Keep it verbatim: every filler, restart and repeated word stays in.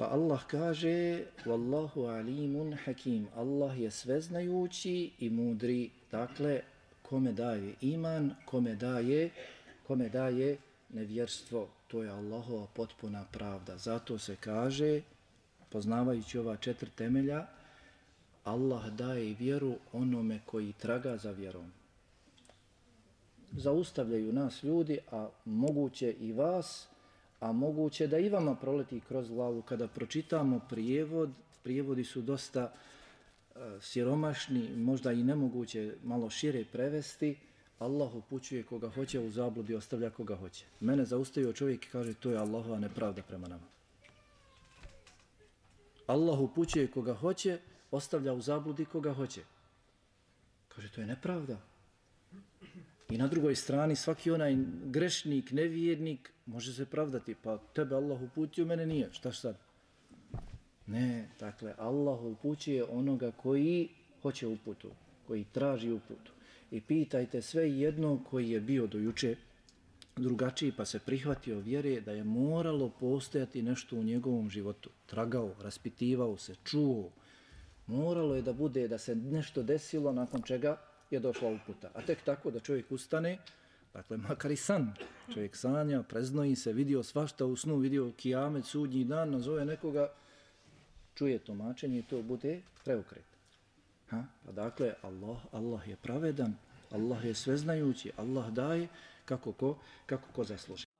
Pa Allah kaže Wallahu alimun hakim. Allah je sveznajući i mudri. Dakle, kome daje iman, kome daje, kome daje nevjerstvo. To je Allahova potpuna pravda. Zato se kaže, poznavajući ova četiri temelja, Allah daje vjeru onome koji traga za vjerom. Zaustavljaju nas ljudi, a moguće i vas, a moguće da i vama proleti kroz glavu kada pročitamo prijevod. Prijevodi su dosta uh, siromašni, možda i nemoguće malo šire prevesti. Allah upućuje koga hoće, u zabludi ostavlja koga hoće. Mene zaustavio čovjek i kaže to je Allahova nepravda prema nama. Allah upućuje koga hoće, ostavlja u zabludi koga hoće. Kaže to je nepravda. I na drugoj strani svaki onaj grešnik, nevjernik može se pravdati, pa tebe Allah uputio, mene nije, šta sad? Ne, dakle, Allah upućuje onoga koji hoće uputu, koji traži uputu. I pitajte sve jedno koji je bio do juče drugačiji pa se prihvatio vjere da je moralo postojati nešto u njegovom životu. Tragao, raspitivao se, čuo. Moralo je da bude, da se nešto desilo nakon čega je došla uputa. A tek tako da čovjek ustane, dakle makar i san, čovjek sanja, preznoji se, vidio svašta u snu, vidio kijamet, sudnji dan, nazove nekoga, čuje tumačenje i to bude preokret. Ha? Pa dakle, Allah, Allah je pravedan, Allah je sveznajući, Allah daje kako ko, kako ko zasluži.